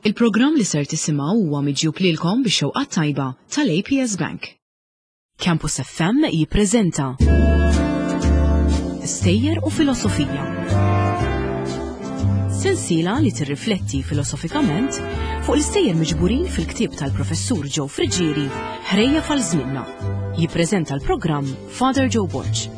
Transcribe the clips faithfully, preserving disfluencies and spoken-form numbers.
Il-programm li ser tisimgħu huwa miġjub lilkom bix-xewqa tajba tal-A P S Bank. Campus F M jippreżenta Stejjer u Filosofija. Sensiela li tirrifletti filosofikament fuq l-istejjer miġburin fil-ktieb tal-professur Joe Friggieri, Ħrejjef għal Żmienna. Jippreżenta l-programm Father Joe Borg.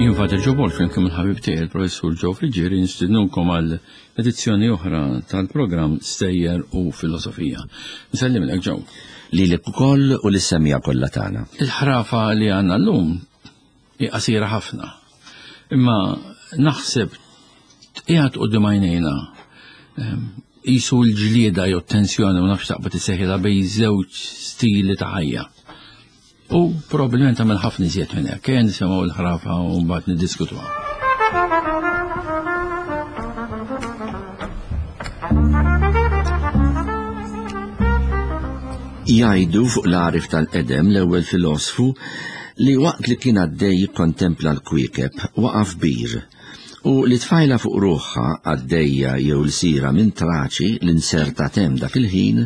Jien Father Joe Borg, flimkien il-ħabib tiegħi il-professur Joe Friggieri, nistidnukom għal edizzjoni oħra tal-programm Stejjer u Filosofija. Nsellimlek, Joe. Lilek ukoll u lis-semmiegħa kollha tagħna. Il-ħrafa li għandna llum hi qasira ħafna. Imma naħseb qiegħed quddiem għajnejna ehm, qisu l-ġlieda jew tensjoni, ma nafx taqbad isseħħilha, bejn żewġ stili ta' ħajja. U probabbilment tagħmel ħafna iżjed minn hekk. Ejja nisimgħu l-ħrafa u mbagħad niddiskutuha. Jgħidu fuq l-għarif tal-qedem, l-ewwel filosfu, li waqt li kien għaddej jikkontempla l-kwiekeb waqaf bir u li tfajla fuq ruħha għaddejja jew l-sira minn Traċi li nserta tem dak il-ħin,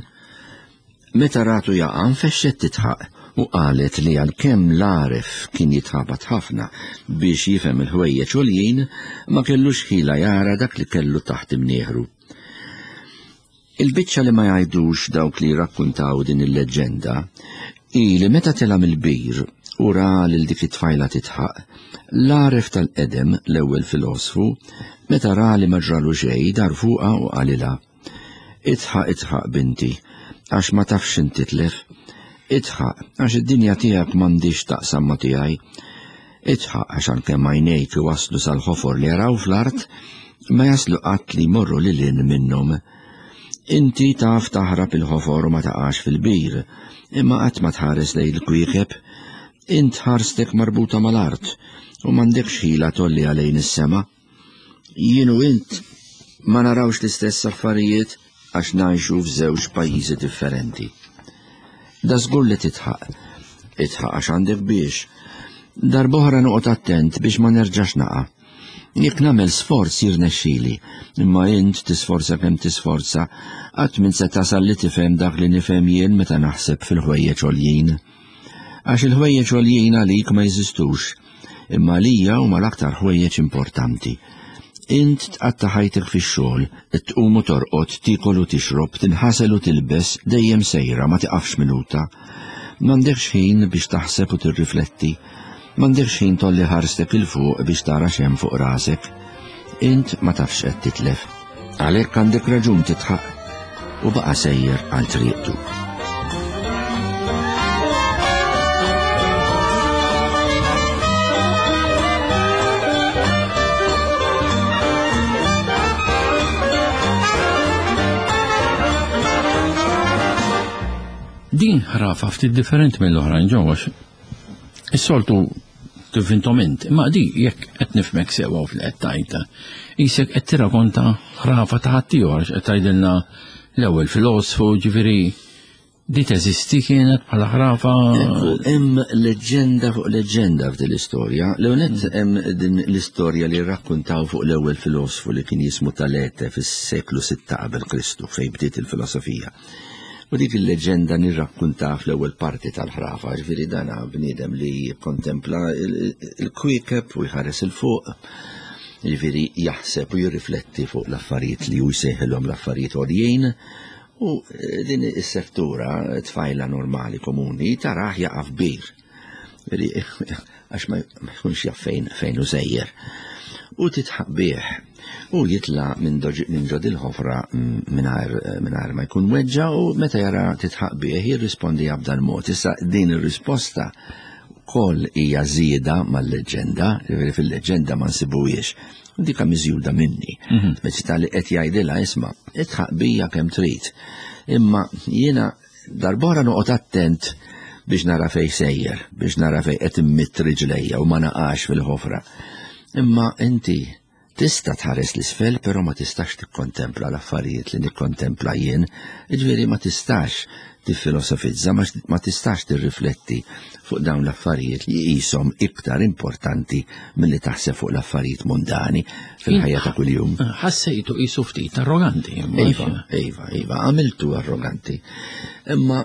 meta ratu jaqa' nfexxet titħaq u qalet li għalkemm l-għaref kien jitħabat ħafna biex jifhem il-ħwejjeġ għoljin, ma kellux ħila jara dak li kellu taħt imnieħru. Il-biċċa li ma jgħidux dawk li rakkuntaw din il-leġġenda hi li meta tela' mill-bir u ra lil dik it-tfajla titħaq, l-għaref tal-qedem, l-ewwel filosfu, meta ra li ma ġralu xejn, dar fuqha u qalilha: "Itħaq, itħaq, binti, għax ma tafx inti titlef. Itħaq, għax id-dinja tiegħek m'għandix taqsam ma tiegħi. Itħaq, għax għalkemm għajnejk iwaslu sal-ħofor li jaraw fl-art, ma jaslu qatt li jmorru lil hinn minnhom. Inti taf taħrab il-ħofor u ma taqax fil-bir, imma qatt ma tħares lejn il-kwiekeb. Int ħarstek marbuta mal-art u m'għandekx ħila tgħolli għalejn is-sema. Jien u int ma narawx l-istess affarijiet għax ngħixu f'żewġ pajjiżi differenti. Da żgur li titħaq, itħaq għax għandek biex. Darb'oħra noqgħod attent biex ma nerġax naqa'. Jekk nagħmel sforz jirnexxili, imma int tisforza kemm tisforza, qatt min se tasal li tifhem dak li nifhem jien meta naħseb fil-ħwejjeġ għoljin. Għax il-ħwejjeġ għoljin għalik ma jeżistux, imma għalija huma l-aktar ħwejjeġ importanti. Int tqatta' ħajtek fix-xogħol, tqum u torqod, tiekol u tixrob, tinħasel u tilbes, dejjem sejra, ma tiqafx minuta. M'għandekx ħin biex taħseb u tirrifletti. M'għandekx ħin tolli ħarstek 'il fuq biex tara x'hemm fuq rasek. Int ma tafx qed titlef. Għalhekk għandek raġun titħaq. U baqa' sejjer għal triqtu." Din ħrafa ftit differenti mill-oħrajn ġewwa, is-soltu tivvintom int, imma di, jekk qed nifhmek sewwa u fil qed tgħidha, qisek qed tirrakonta ħrafa ta' ħaddieħor, għax qed tgħidilna l-ewwel filosfu, ġifieri di teżisti kienet bħala ħrafa. Ekku, hemm leġġenda fuq leġġenda f'din l-istorja. L-ewwel hemm din l-istorja li rrakkuntaw fuq l-ewwel filosfu li kien jismu Talete fis-seklu sitta qabel Kristu, fejn bdiet il-filosofija. U dik il-leġenda nirrakkunta fl-ewwel parti tal-ħrafa, ġifieri dana bniedem li jikkontempla il-kwiekeb u jħares 'il fuq, ġifieri jaħseb u jirrifletti fuq l-affarijiet li hu jsejħilhom l-affarijiet għoljin, u din is-settura, tfajla normali komuni, taraħ jaqa' f'bir. Għax ma jkunx jaf fejn, fejn hu sejjer. U titħaq bih u jitla minn ġod il-ħofra mingħajr ma jkun weġġa, u meta jara titħaq bih jirrispondi b'dan mod. Issa din ir-risposta koll hija żieda mal-leġġenda, ġifieri fil-leġġenda ma nsibuhiex. U dika miżjuda minni. Mhm. Speċi tal-li qed jgħidilha: "Isma', itħaq bija kemm trid. Imma jiena darbora noqgħod attent biex nara fej sejjer, biex nara fej qed immitt riġlejja u ma naqax fil-ħofra. Imma inti tista' tħares l-isfel, però ma tistax tikkontempla l-affarijiet li nikkontempla jien, ġifieri ma tistax tiffilosofizza, ma tistax tirrifletti fuq dawn l-affarijiet li qishom iktar importanti milli taħseb fuq l-affarijiet mondani fil-ħajja ta' kuljum. Ħassejtu qisu ftit arroganti. Iva, iva, iva, għamiltu arroganti. Imma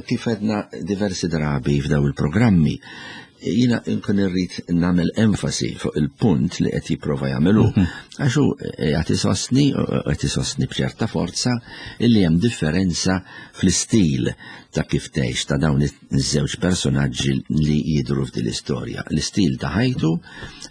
kif għedna diversi drabi f'daw il-programmi, jina nkun irrid nagħmel enfasi fuq il-punt li qed jipprova jagħmelu. Għax hu qed isostni, qed isostni b'ċerta forza illi hemm differenza fl-istil ta' kif tgħix ta' dawn iż-żewġ personaġġi li jidhru f'din l-istorja. L-istil ta' ħajtu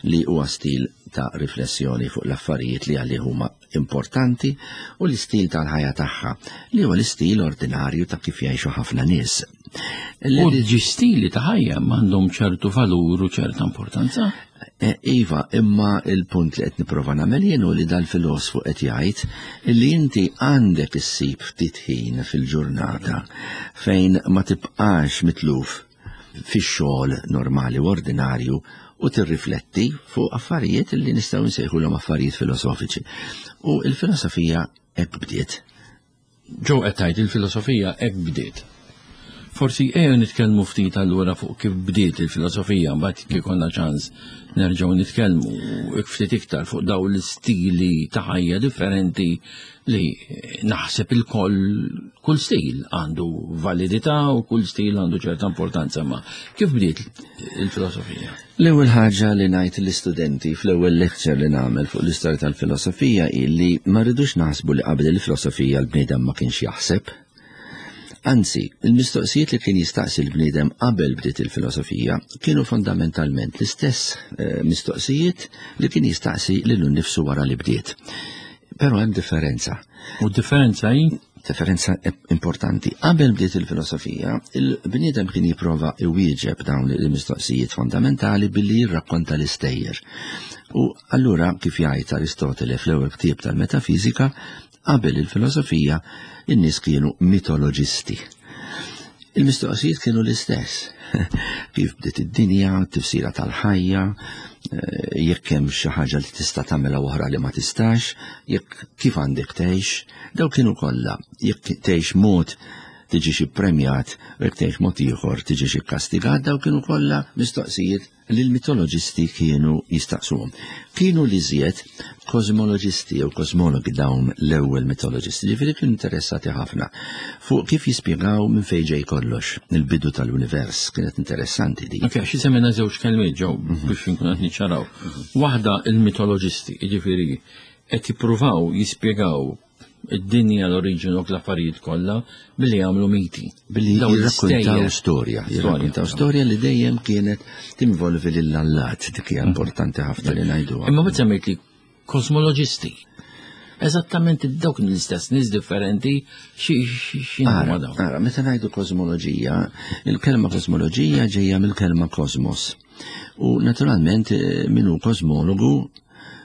li huwa stil ta' riflessjoni fuq l-affarijiet li għalih huma importanti u l-istil tal-ħajja tagħha li huwa l-istil ordinarju ta' kif jgħixu ħafna nies. U ġi stili ta' ħajja m'għandhom ċertu valur u ċerta importanza? Iva, imma il-punt li qed nipprova nagħmel jien hu li dal-filosfu qed jgħid li inti għandek issib ftit ħin fil-ġurnata fejn ma tibqax mitluf fix-xogħol normali u ordinarju u tirrifletti fuq affarijiet li nistgħu nsejħulhom affarijiet filosofiċi. U l-filosofija hekk bdiet. Ġo qed tgħid il-filosofija hekk bdiet. Forsi ejja nitkellmu ftit allura fuq kif bdiet il-filosofija, mbagħad kif konna ċans nerġgħu nitkellmu ftit iktar fuq dawn l-istili ta' ħajja differenti li naħseb il-koll kull stil għandu validità u kull stil għandu ċerta importanza, ma kif bdiet il-filosofija? L-ewwel ħaġa li ngħid l-istudenti fl-ewwel lecture li nagħmel fuq l-istorja tal-filosofija hi li ma rridux naħsbu li qabel il-filosofija l-bniedem ma kienx jaħseb. Anzi, il-mistoqsijiet li kien jistaqsi l-bniedem qabel bdiet il-filosofija kienu fondamentalment l-istess mistoqsijiet li kien jistaqsi lilu nnifsu wara li bdiet. Però hemm differenza. U differenza hi? Differenza importanti. Qabel bdiet il-filosofija, il-bniedem kien jipprova iwieġeb dawn il-mistoqsijiet fondamentali billi jirrakkonta l-istejjer. U allura, kif jgħid Aristotele fl-ewwel ktieb tal-metafizika, qabel il-filosofija, in-nies kienu mitoloġisti. Il-mistoqsijiet kienu l-istess. Kif bdiet id-dinja, tifsira tal-ħajja, jekk hemm xi ħaġa li tista' tagħmilha oħra li ma tistax, jekk kif għandek tgħix, daw kienu kollha. Jekk tgħix mod tiġi xi premjat, u jekk tgħix mod ieħor tiġi xi kastigat, daw kienu kollha mistoqsijiet li l-mitoloġisti kienu jistaqsuhom. Kienu li żjed kosmoloġisti jew kosmologi dawn l-ewwel mitoloġisti, ġifieri kienu interessati ħafna fuq kif jispjegaw minn fejn ġej kollox, il-bidu tal-univers, kienet interessanti din. Ok, xi semmejna żewġ kelmiet ġew biex inkun qed niċċaraw. Waħda il-mitoloġisti, jiġifieri qed jippruvaw jispjegaw id-dinja, l-oriġinu u l-affarijiet kollha billi jagħmlu miti. Billi jirrakkontaw storja, jirrakkontaw storja li dejjem kienet tinvolvi lill-allat, dik hija importanti ħafna li ngħiduha. Imma meta semmejt li kosmoloġisti, eżattament dawk l-istess nies differenti x'inhuma dawn. Ara, meta ngħidu kosmoloġija, il-kelma kosmoloġija ġejja mill-kelma kosmos. U naturalment min hu kosmologu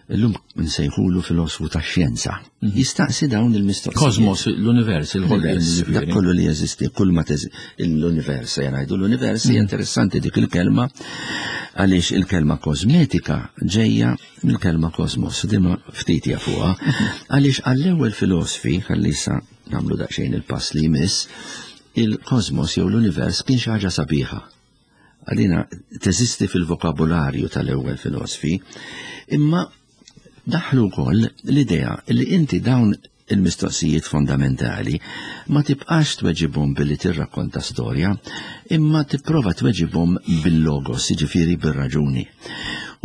illum nsejħulu filosfu tax-xjenza. Jistaqsi dawn il-mistoqsijiet. Kosmos, l-univers, il-ħolqien, dak kollu li jeżisti, kull ma l-univers, jgħidu l-univers, hija interessanti dik il-kelma għaliex il-kelma kosmetika ġejja mill-kelma kosmos, dima ftit jafuha, għaliex għall-ewwel filosfi, ħalli issa nagħmlu daqsxejn il-pass li jmiss, il-kosmos jew l-univers kien xi ħaġa sabiħa. Għalina teżisti fil-vokabularju tal-ewwel filosfi, imma daħlu wkoll l-idea li inti dawn il-mistoqsijiet fondamentali ma tibqax tweġibhom billi tirrakkonta storja, imma tipprova tweġibhom bil-logos, jiġifieri bir-raġuni.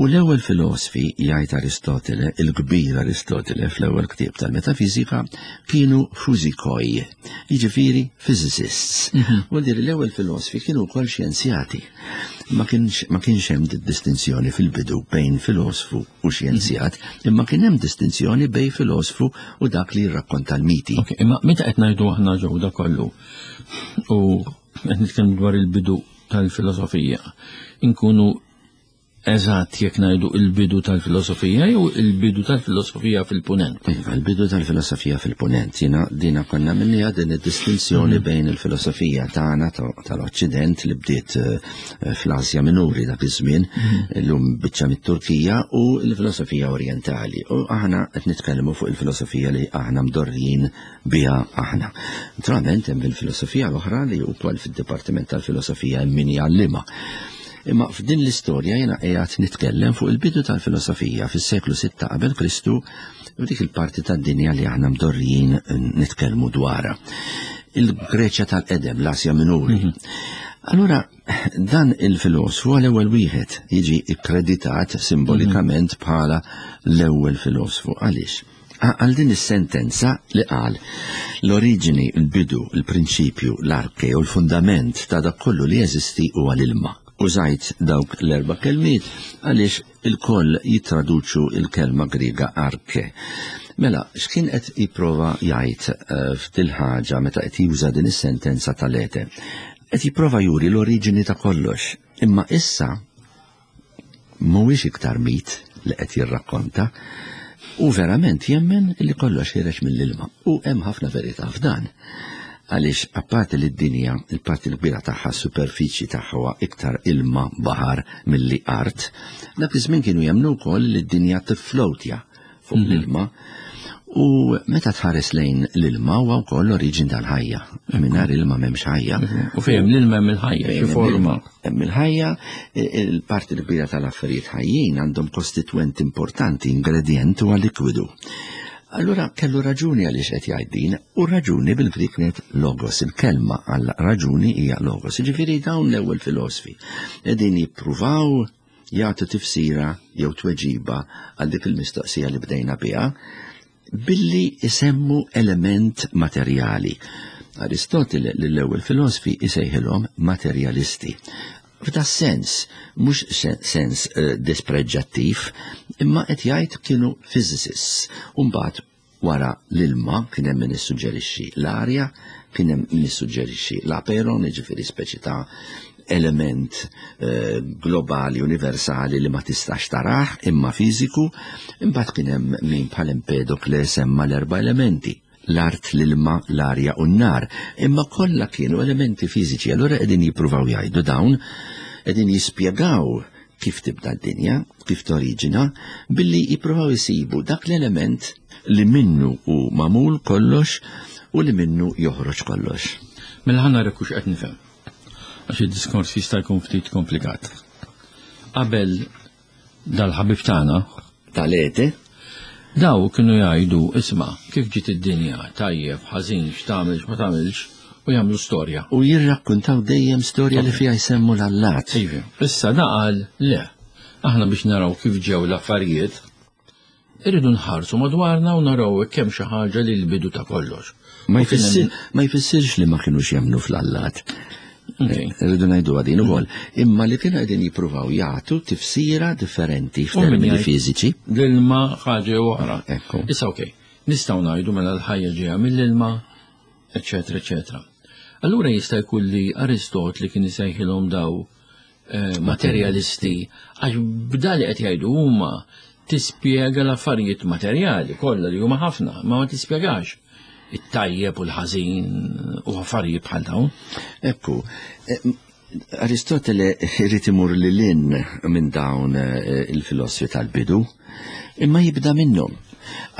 U l-ewwel filosfi, jgħid Aristotele, il-kbir Aristotele fl-ewwel ktieb tal-metafizika, kienu fuzikoi, jiġifieri physicists. U dir l-ewwel filosfi kienu wkoll xjenzjati. Ma kienx hemm distinzjoni fil-bidu bejn filosfu u xjenzjat, imma kien hemm distinzjoni bejn filosfu u dak li jirrakkonta l-miti. Ok, imma meta qed ngħidu aħna ġew da kollu u qed nitkellmu dwar il-bidu tal-filosofija, inkunu eżatt jekk ngħidu il-bidu tal-filosofija jew il-bidu tal-filosofija fil-punent. Iva, il-bidu tal-filosofija fil-punent, jiena dina konna minnija din id-distinzjoni mm. bejn il-filosofija tagħna tal-Oċċident li bdiet eh, fl-Asja Minuri dak iż-żmien, mm. illum biċċa mit-Turkija, u l-filosofija Orjentali. U aħna qed nitkellmu fuq il-filosofija li aħna mdorrijin biha aħna. Naturalment hemm il-filosofija l-oħra li wkoll fid-Dipartiment tal-Filosofija hemm min jgħallimha. Imma f'din l-istorja jiena qiegħed nitkellem fuq il-bidu tal-filosofija fis-seklu sitta qabel Kristu u dik il-parti tad-dinja li aħna mdorrijin nitkellmu dwarha. Il-Greċja tal-qedem, l-Asja Minuri. Mm-hmm. Allura, dan il-filosfu għal ewwel wieħed jiġi ikkreditat simbolikament mm-hmm. bħala l-ewwel filosfu. Għaliex? Għal din is-sentenza li qal l-oriġini, il-bidu, il-prinċipju, l-arke u l-fundament ta' dak kollu li jeżisti huwa l-ilma. Użajt dawk l-erba' kelmiet għaliex il-koll jittraduċu il-kelma Griega arke. Mela, x'kien qed jipprova jgħid eh, f'dil ħaġa meta qed juża din is-sentenza tal-ete? Qed jipprova juri l-oriġini ta' kollox, imma issa mhuwiex iktar mit li qed jirrakkonta, u verament jemmen li kollox ħireġ mill-ilma. U hemm ħafna verità f'dan. Għaliex apparti li d-dinja, il-parti l-kbira tagħha, superfiċi tagħha huwa iktar ilma baħar milli art, dak iż-żmien kienu jemmnu wkoll li d-dinja tifflowtja fuq mm-hmm. l-ilma. U meta tħares lejn l-ilma huwa wkoll l-oriġin tal-ħajja. Mingħajr ilma m'hemmx ħajja. U fejn l-ilma hemm il-ħajja, xi forma. Hemm il-ħajja, il-parti l-kbira tal-affarijiet ħajjin għandhom kostitwent importanti, ingredient huwa likwidu. Allura kellu raġuni għaliex qed jgħid din, u raġuni bil-Grik kienet logos, il-kelma għal raġuni hija logos. Jiġifieri dawn l-ewwel filosfi qegħdin jippruvaw jagħtu tifsira jew tweġiba għal dik il-mistoqsija li bdejna biha billi isemmu element materjali. Aristotele lill-ewwel filosfi isejħilhom materjalisti. F'da sens, mhux sens uh, dispreġġattiv, imma qed jgħid kienu physicists. U mbagħad wara l-ilma kien hemm min issuġġerixxi l-arja, kien hemm min issuġġerixxi l-aperon, jiġifieri speċi ta' element uh, globali, universali li ma tistax tarah imma fiżiku. Imbagħad kien hemm min bħal Empedokle semma l-erba' elementi: l-art, l-ilma, l-arja u n-nar, imma kollha kienu elementi fiżiċi. Allura qegħdin jippruvaw jgħidu dawn, qegħdin jispjegaw kif tibda d-dinja, kif toriġina, billi jippruvaw jisibu dak l-element li minnu hu magħmul kollox u li minnu joħroġ kollox. Mela ħa nara hux qed nifhem, għax id-diskors jista' jkun ftit komplikat. Qabel dal-ħabib tagħna tal-ete, daw kienu jgħidu, isma', kif ġiet id-dinja, tajjeb, ħażin, x'tagħmel, x'ma tagħmilx, u jagħmlu storja. U jirrakkuntaw dejjem storja li fiha jsemmu l-allat. Iva, issa da qal le, aħna biex naraw kif ġew l-affarijiet, irridu nħarsu madwarna u naraw kemm xi ħaġa li l-bidu ta' kollox. Ma jfissirx li ma kinux jemmnu fl-allat. Rridu ngħidu għadin ukoll, imma li kienu qegħdin jippruvaw jagħtu tifsira differenti f'termini fiżiċi. L-ilma ħaġa oħra. Issa okej, nistgħu ngħidu mela l-ħajja ġejja mill-ilma, eċetera, eċetera. Allura jista' jkun li Aristotli kien isejħilhom daw materjalisti, għax b'dali qed jgħidu huma tispjega l-affarijiet materjali kollha li huma ħafna, ma ma tispjegax it-tajjeb u l-ħażin u affarijiet bħal dawn. Ekku, Aristotele irid imur lil hinn minn dawn il-filosfi tal-bidu, imma jibda minnhom.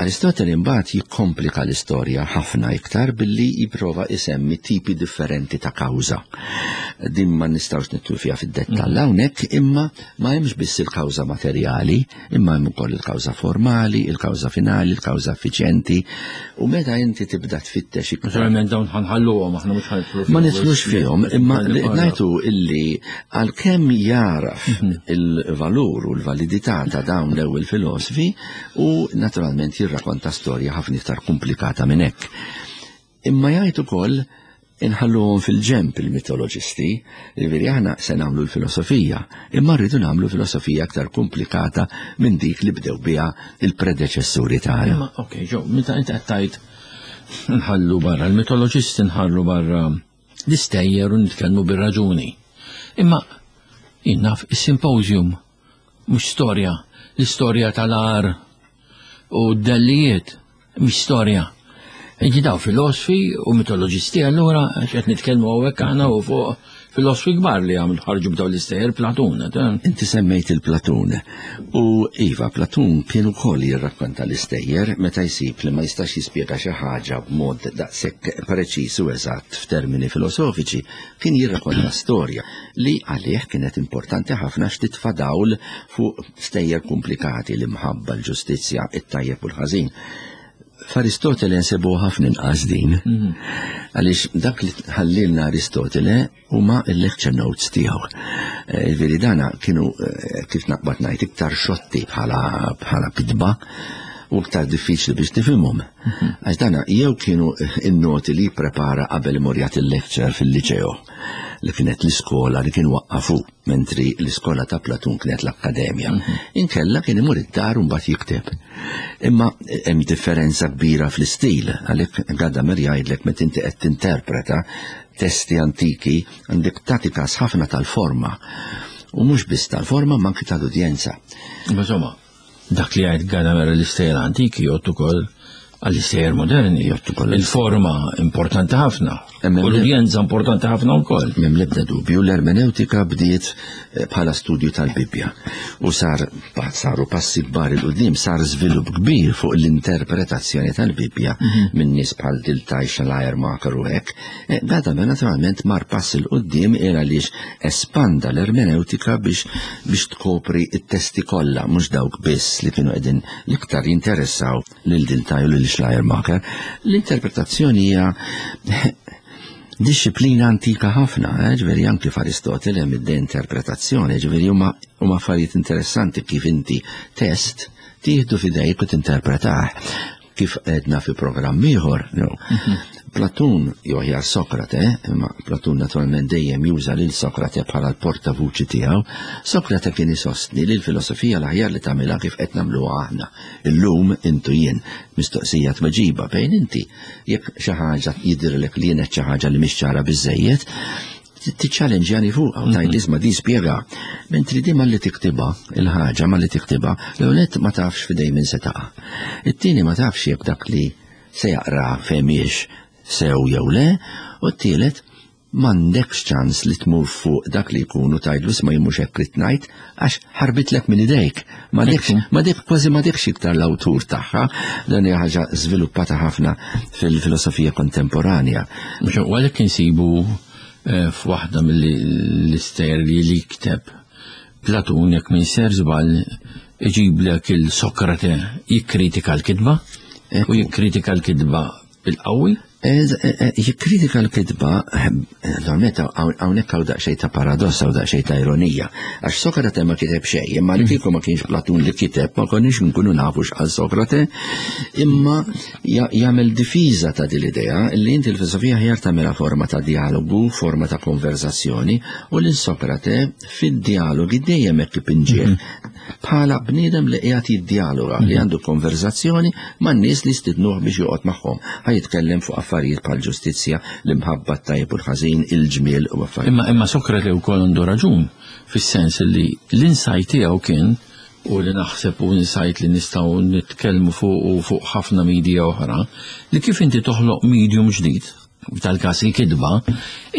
Aristotele imbagħad jikkomplika l-istorja ħafna iktar billi jipprova isemmi tipi differenti ta' kawża. Din ma nistgħux nidħlu fiha fid-dettall hawnhekk, imma ma hemmx biss il-kawża materjali, imma hemm ukoll il-kawża formali, il-kawża finali, il-kawża effiċjenti, u meta inti tibda tfittex iktar. Naturalment dawn ħanħalluhom, aħna mhux ħanidħlu Ma nidħlux fihom, imma li ngħidu illi għalkemm jaraf il-valur u l-validità ta' dawn l-ewwel filosfi, u naturalment jirrakonta storja ħafna iktar komplikata minn hekk. Imma jgħid ukoll inħalluhom fil-ġemp il-mitoloġisti, jiġifieri aħna se nagħmlu l-filosofija, imma rridu nagħmlu filosofija aktar komplikata minn dik li bdew biha il-predeċessuri tagħna. Imma okej, ġew, meta inti qed tgħid nħallu barra l-mitoloġisti, nħallu barra l-istejjer u nitkellmu bir-raġuni. Imma jien naf is-symposium Mhux storja, l-istorja tal-għar u d-dellijiet, mhix storja. Inti daw filosfi u mitoloġisti allura qed nitkellmu hawnhekk aħna u fuq filosfi kbar li għamlu ħarġu b'daw l-istejjer Platun. Inti semmejt il-Platun. U iva, Platun kien ukoll jirrakkonta l-istejjer meta jsib li ma jistax jispjega xi ħaġa b'mod daqshekk preċiż u eżatt f'termini filosofiċi, kien jirrakkonta storja li għalih kienet importanti ħafna x'titfa' dawl fuq stejjer komplikati, l-imħabba, l-ġustizzja, it-tajjeb u l-ħażin. F'Aristotele nsibu ħafna inqas din. Għaliex dak li ħallilna Aristotele huma il-lecture notes tiegħu. Veri dana kienu kif naqbad ngħid iktar xotti bħala bħala kitba u iktar diffiċli biex tifhimhom. Għax dana jew kienu in-noti li prepara qabel imur jagħti il-lecture fil-liċeo li kienet l-iskola li kien waqqafu, mentri l-iskola ta' Platun kienet l-akkademja. Inkella kien imur id-dar u mbagħad jikteb. Imma hemm differenza kbira fl-istil, għalhekk Gadamer jgħidlek meta inti qed tinterpreta testi antiki għandek tagħti każ ħafna tal-forma. U mhux biss tal-forma ma anki tal-udjenza. Insomma, dak li jgħid Gadamer l-istejjer antiki jgħod ukoll għall-istejjer moderni. Il-forma importanti ħafna. U l-udjenza importanti ħafna wkoll. M'hemm l-ebda dubju, l-ermeneutika bdiet bħala studju tal-Bibbja. U sar saru passi kbar 'il quddiem, sar żvilupp kbir fuq l-interpretazzjoni tal-Bibbja minn nies bħal Dilthey, Schleiermacher u hekk. Gadamer naturalment mar pass 'il quddiem era għaliex espanda l-ermeneutika biex biex tkopri it-testi kollha, mhux dawk biss li kienu qegħdin l-iktar jinteressaw lil Dilthey u lil Schleiermacher. L-interpretazzjoni hija disciplina antika ħafna, eh, ġifieri anki f'Aristotele hemm id-interpretazzjoni, ġifieri huma huma affarijiet interessanti kif inti test tieħdu f'idejk u tinterpretah. Kif għedna fi programm ieħor, no. Platun, jew aħjar Sokrate, imma Platun naturalment dejjem juża lil Sokrate bħala l-portavuċi tiegħu, Sokrate kien isostni li l-filosofija l-aħjar li tagħmilha kif qed nagħmluha aħna. Illum intu jien mistoqsija tweġiba bejn inti jekk xi ħaġa jidhirlek li kienet xi ħaġa li mhix ċara biżejjed, tiċċallenġjani fuqha u tgħid isma' di spjega. Mentri di malli tiktibha, il-ħaġa malli tiktibha, l-ewwel ma tafx f'idejn min se taqa'. It-tieni ma tafx jekk dak li se jaqra fehmiex sew jew le, u t-tielet m'għandekx ċans li tmur fuq dak li jkunu tgħidlu isma' jien mhux hekk rid ngħid għax ħarbitlek minn idejk. M'għandekx, m'għandek kważi m'għandekx iktar l-awtur tagħha, dan hija ħaġa żviluppata ħafna fil-filosofija kontemporanja. Mhux għalhekk insibu f'waħda mill-istejjer li li kteb Platun, jekk minn ser żball, iġiblek il-Sokrate jikkritika l-kitba u jikkritika l-kitba bil-qawwi. Jikkritika l-kitba, normalment hawnhekk hawn daqsxejn ta' paradoss, hawn daqsxejn ta' ironija, għax Sokrate ma kiteb xejn, imma li kieku ma kienx Platun li kiteb, ma konniex nkunu nafu x'qal Sokrate, imma jagħmel difiża ta' din l-idea li inti l-filosofija ħjar tagħmilha forma ta' dialogu, forma ta' konverzazzjoni, u lil Sokrate fid-dialogi dejjem hekk ipinġih bħala bniedem li qiegħed jiddialoga, li għandu konverzazzjoni man-nies li stidnuh biex joqgħod magħhom. Ħa jitkellem fuq affarijiet bħal ġustizzja, l-imħabba, t-tajjeb u l-ħażin, il-ġmiel u affarijiet. Imma imma Sokrate wkoll għandu raġun fis-sens li l-insight tiegħu kien, u li naħseb u insight li nistgħu nitkellmu fuq u fuq ħafna media oħra, li kif inti toħloq medium ġdid, tal-każ il-kitba,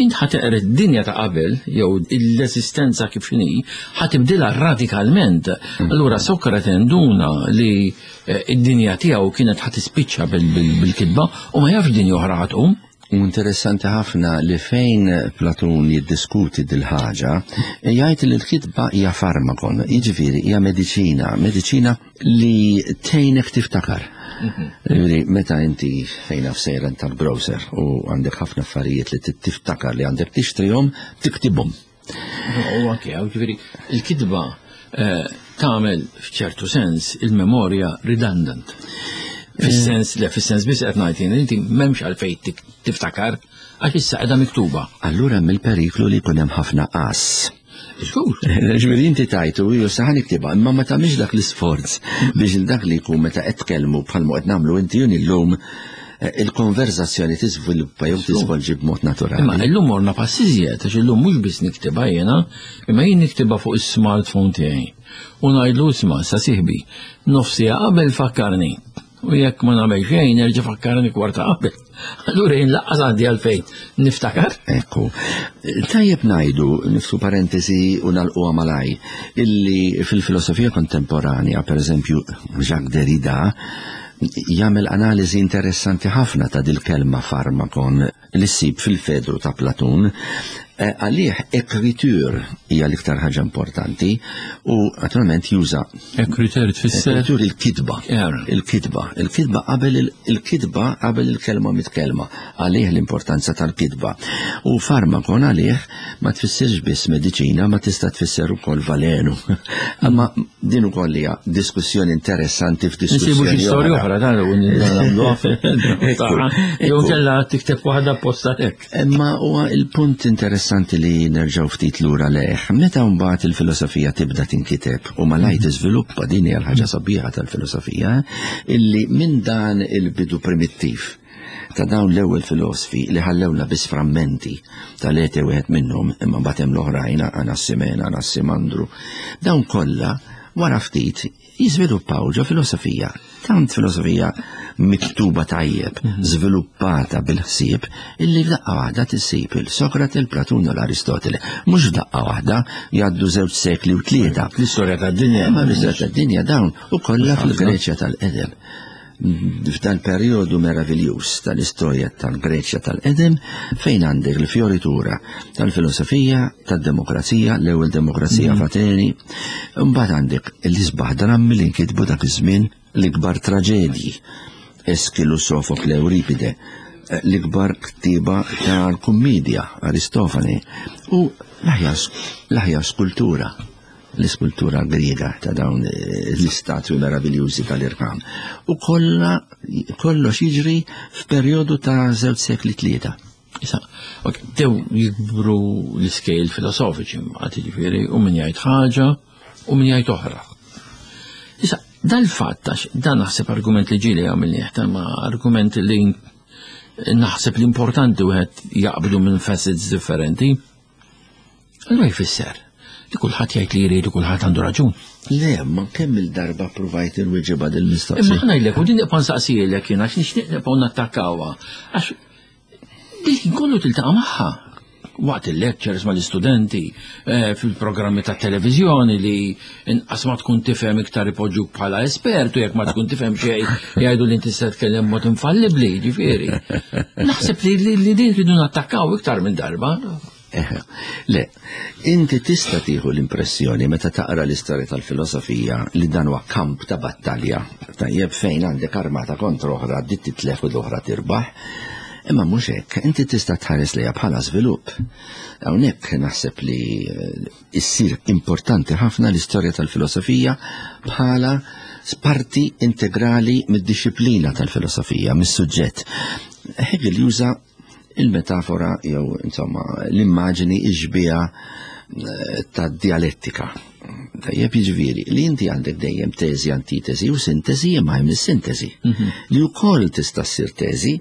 int ħa teqred id-dinja ta' qabel, jew l-esistenza kif inhi, ħa tibdilha radikalment. Allura Sokrate nduna li id-dinja tiegħu kienet ħa tispiċċa bil-kitba u ma jafx dinja oħra ħa tqum. U interessanti ħafna li fejn Platun jiddiskuti dil-ħaġa, jgħid li l-kitba hija farmakon, jiġifieri hija mediċina, mediċina li tgħinek tiftakar. Jiġifieri meta inti fejn sejra tal-grocer u għandek ħafna affarijiet li tiftakar li għandek tixtrihom, tiktibhom. U anke, jiġifieri il-kitba tagħmel f'ċertu sens il-memorja redundant. Fis-sens, le, fis-sens biss qed ngħid jien, inti m'hemmx għalfejn tiftakar għax issa qiegħda miktuba. Allura hemm il-periklu li jkun hemm ħafna qas. Żgur. Ġifieri inti tajtu, ju saħan niktibha, imma ma tagħmilx dak l-isforz biex il dak li jkun meta qed tkellmu bħalma qed nagħmlu inti jien illum Il-konverzazzjoni tiżviluppa jew tiżvolġi b'mod naturali. Imma illum morna pass iżjed, għax illum mhux biss niktibha jiena, imma jien niktibha fuq is-smartphone tiegħi. U ngħidlu isma' sa sieħbi, nofs siegħa qabel fakkarni. U jekk ma nagħmel xejn nerġa' fakkarni kwarta qabel. Allura jien lanqas għandi għalfejn niftakar. Ekku. Tajjeb ngħidu, niftħu parentesi u nagħlquha malajr, illi fil-filosofija kontemporanja, per eżempju, Jacques Derrida, jagħmel analiżi interessanti ħafna ta' dil-kelma farmakon li ssib fil-Fedru ta' Platun. Għalih écriture hija l-iktar ħaġa importanti u naturalment juża Écriture tfisser écriture il-kitba. Il-kitba. Il-kitba qabel il-kitba qabel il-kelma mitkelma. Għalih l-importanza tal-kitba. U farmakon għalih ma tfissirx biss mediċina, ma tista' tfisser ukoll valenu. Imma din ukoll hija diskussjoni interessanti f'diskussjoni. Nsibu xi storja oħra dan u nagħmluha fil-Fedru. Jew kellha tikteb waħda posta hekk. Imma huwa il-punt interessanti li nerġgħu ftit lura lejh. Meta mbagħad il-filosofija tibda tinkiteb u malajr tiżviluppa, din hija l-ħaġa sabiħa tal-filosofija, illi minn dan il-bidu primittiv ta' dawn l-ewwel filosofi li ħallewna biss frammenti tal-ete wieħed minnhom, imma mbagħad hemm l-oħrajn, Anassimena, Anassimandru, dawn kollha wara ftit jiżviluppaw ġo filosofija, tant filosofija miktuba tajjeb, żviluppata bil-ħsieb, illi f'daqqa waħda tissib il-Sokrate, il-Platun u l-Aristotele. Mhux f'daqqa waħda, jgħaddu żewġ sekli u tlieta. L-istorja tad-dinja. Ma l-istorja tad-dinja dawn u kollha fil-Greċja tal-qedem. F'dan periodu meraviljuż tal-istorja tal-Greċja tal-qedem, fejn għandek l-fioritura tal-filosofija, tad-demokrazija, l-ewwel demokrazija f'Ateni, mbagħad għandek l-isbaħ drammi li nkitbu dak iż-żmien, l-ikbar traġedji, Eskilu, Sofokle, Euripide, l-ikbar ktiba tal-kummedja, Aristofane, u l-aħjar skultura, l-iskultura griega ta' dawn l-istatwi meraviljużi tal-irkam. U kollha kollox jiġri f'perjodu ta' żewġ sekli tlieta. Issa, ok, dew jikbru l-iskejl filosofiċi, mbagħad jiġifieri, u min jgħid ħaġa u min jgħid oħra. Issa, dal-fatt, għax dan naħseb argument li ġieli għamilni, ma argument li naħseb l-importanti wieħed jaqbdu minn facets differenti. Allura jfisser li kulħadd jgħid li jrid u kulħadd għandu raġun. Le, ma kemm il-darba provajt inweġibha dil-mistoqsija. Imma ħa ngħidlek, u din nibqa' nsaqsielek jien għax nixtieq nibqgħu nattakkawha. Għax dik kollu tiltaqa' magħha waqt il-lectures mal-istudenti, eh, fil-programmi ta' televiżjoni li inqas ma tkun tifhem iktar ipoġġuk bħala espert u jekk ma tkun tifhem xejn jgħidu li inti se tkellem mod infallibbli, ġifieri. Naħseb li, li, li din rridu nattakkaw iktar minn darba. Eħe, le, inti tista' tieħu l-impressjoni meta taqra l-istorja tal-filosofija li dan huwa kamp ta' battalja, tajjeb fejn għandek armata kontra oħra, dit titlef u l-oħra tirbaħ. Imma mhux hekk, inti tista' tħares lejha bħala żvilupp. Hawnhekk naħseb li, eh, issir importanti ħafna l-istorja tal-filosofija bħala parti integrali mid-disciplina tal-filosofija, mis-suġġett. Hegel juża il-metafora jew insomma l-immaġini iġbija, eh, ta' dialettika. Tajjeb, jiġifieri li inti għandek dejjem teżi, antitesi u sintesi, imma hemm is-sintesi. Mhm. Li wkoll tista' ssir teżi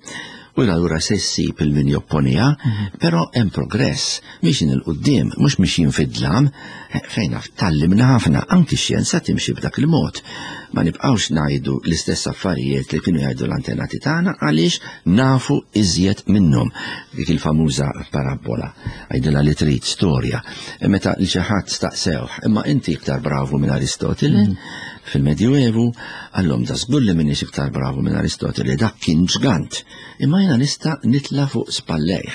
u allura se ssib il-min jopponija, Mhm. però hemm progress, mixin 'il quddiem, mhux mixin fid-dlam, fejn naf tallimna ħafna, anki x-xjenza timxi b'dak il-mod. Ma nibqgħux ngħidu l-istess affarijiet li kienu jgħidu l-antenati tagħna għaliex nafu iżjed minnhom. Dik il-famuża parabola, għidilha li trid storja. Meta li xi ħadd staqsewh, imma inti iktar bravu minn Aristotele, Mhm. fil-Medjuevu, għallhom da żgur li minix iktar bravu minn Aristotele, dak kien ġgant. Imma jiena nista' nitla' fuq spallejh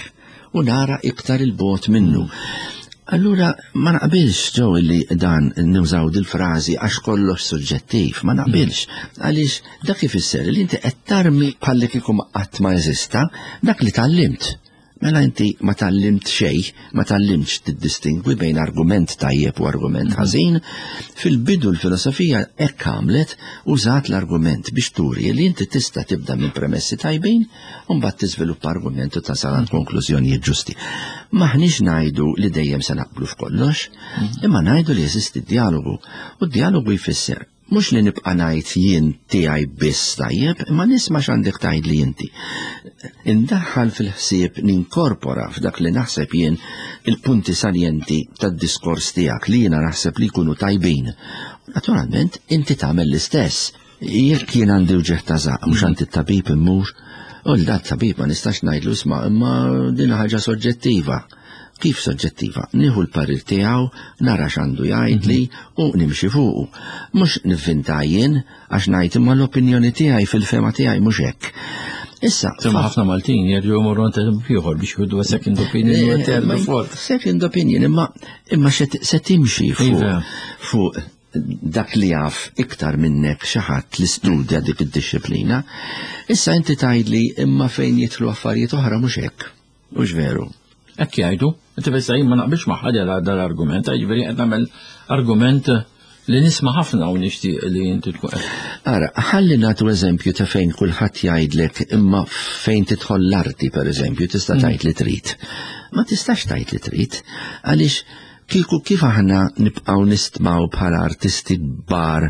u nara iktar il-bot minnu. Allura ma naqbilx ġew li dan nużaw dil-frażi għax kollox suġġettiv, ma naqbilx. Għaliex dak ifisser li inti qed tarmi bħalli kieku ma qatt ma jeżista dak li tgħallimt. Mela inti ma tgħallimt xejn, ma tgħallimtx tiddistingwi bejn argument tajjeb u argument ħażin. Fil-bidu l-filosofija hekk għamlet, użat l-argument biex turi li inti tista' tibda minn premessi tajbin u mbagħad tiżviluppa argument u tasal għand konklużjonijiet ġusti. Maħniex ngħidu li dejjem se naqblu f'kollox, imma ngħidu li jeżisti dialogu, u d-dialogu jfisser Mhux li nibqa' ngħid jien tiegħi biss tajjeb, imma nisma' x'għandek tgħid li inti. Indaħħal fil-ħsieb, ninkorpora f'dak li naħseb jien il-punti saljenti tad-diskors tiegħek li jiena naħseb li jkunu tajbin. Naturalment, inti tagħmel l-istess. Jekk jien għandi uġigħ ta' żaqq, mhux għand it-tabib immur, u l-dat tabib ma nistax ngħidlu isma' imma din ħaġa soġġettiva. Kif soġġettiva? Nieħu l-parir tiegħu, nara x'għandu jgħidli u nimxi fuqu. Mhux nivvinta jien għax ngħid imma l-opinjoni tiegħi fil-fehma tiegħi mhux hekk. Issa, Imma ħafna Maltin jerġgħu jmorru għand ieħor biex jieħdu second opinion u third u fourth. Second opinion, imma imma se timxi fuq Iva. fuq dak li jaf iktar minnek xi ħadd li studja dik id-disciplina. Issa inti tgħidli imma fejn jidħlu affarijiet oħra mhux hekk. Mhux veru. Hekk jgħidu, inti bissa jien ma naqbilx ma' ħadd dal-argument, jiġifieri qed nagħmel argument li nisma' ħafna u nixtieq li inti tkun qed. Ara, ħalli nagħtu eżempju ta' fejn kulħadd jgħidlek imma fejn tidħol l-arti pereżempju tista' tgħid li trid. Ma tistax tgħid li trid, għaliex kieku kif aħna nibqgħu nistmaw bħala artisti kbar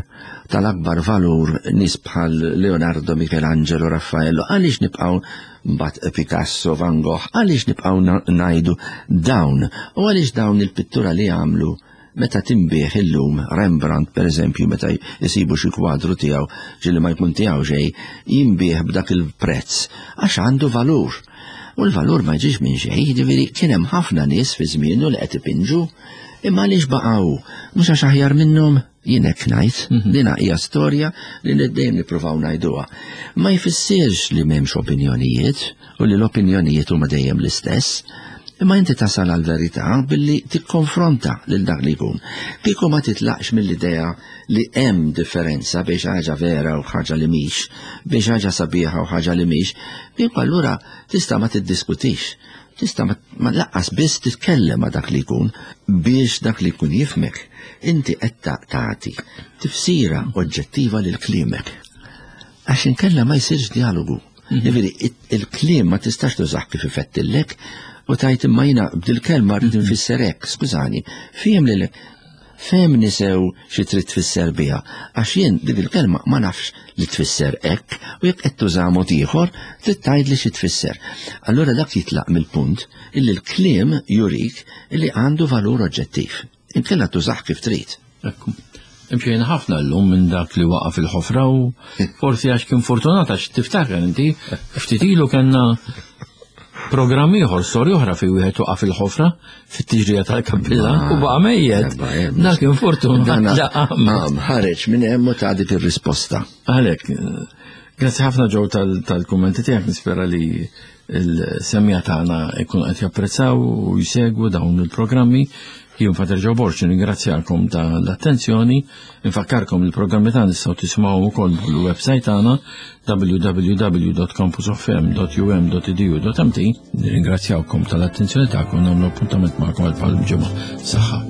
tal-akbar valur nies bħal Leonardo, Michelangelo, Raffaello, għaliex nibqgħu mbagħad Picasso, Van Gogh, għaliex nibqgħu ngħidu dawn u għaliex dawn il-pittura li għamlu meta tinbiegħ illum Rembrandt per eżempju meta jisibu xi kwadru tiegħu ġieli ma jkun tiegħu xejn jinbiegħ b'dak il-prezz għax għandu valur. U l-valur ma jġiex minn xejn, jiġifieri kien hemm ħafna nies fi żmienu li qed ipinġu, imma għaliex baqgħu mhux għax aħjar minnhom jien hekk ngħid, dina hija storja li dejjem nippruvaw ngħiduha. Ma jfissirx li m'hemmx opinjonijiet u li l-opinjonijiet huma dejjem l-istess, imma inti tasal għal-verità billi tikkonfronta lil dak li jkun. Kieku ma titlaqx mill-idea li hemm differenza biex ħaġa vera u ħaġa li mhix, biex ħaġa sabiħa u ħaġa li mhix, kieku allura tista' ma tiddiskutix. Tista' ma laqqas biss titkellem ma' dak li jkun biex dak li jkun jifmek. Inti qed tagħti tifsira oġġettiva lil kliemek. Għax inkella ma jsirx dialogu. Jiġifieri il-kliem ma tistax tużah kif ifettillek u tajt imma jiena b'dil-kelma rrid nfisser hekk, skużani, fiem lil fehmni sew xi trid tfisser biha, għax jien dik il-kelma ma nafx li tfisser hekk u jekk qed tuża mod ieħor trid tgħidli xi tfisser. Allura dak jitlaq mill-punt illi l-kliem jurik illi għandu valur oġġettiv. Inkella tużah kif trid. Ekku. Imxejna ħafna llum minn dak li waqa' fil-ħofra u forsi għax kien fortunat għax tiftakar inti ftit ilu kellna programm ieħor, storja oħra fi wieħed waqa' fil-ħofra fit-tiġrija tal-kappillan u baqa' mejjet. Dak kien fortunat. Ħareġ minn hemm u ta' dik ir-risposta. Għalhekk, grazzi ħafna Joe tal-kummenti tiegħek, nispera li l-semmiegħa tagħna jkunu qed japprezzaw u jsegwu dawn il-programmi. Jien Father Joe Borg, ringrazzjakom tal-attenzjoni, infakkarkom il-programmi tagħna nistgħu tisimgħu wkoll fuq il-website tagħna w w w dot campus f m dot u m dot e d u dot m t. Nirringrazzjawkom tal-attenzjoni tagħkom, nagħmlu appuntament magħkom għal bħal ġimgħa. Saħħa.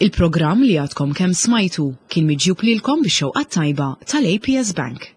Il-programm li għadkom kemm smajtu kien miġjub lilkom bix-xewqa tajba tal-A P S Bank.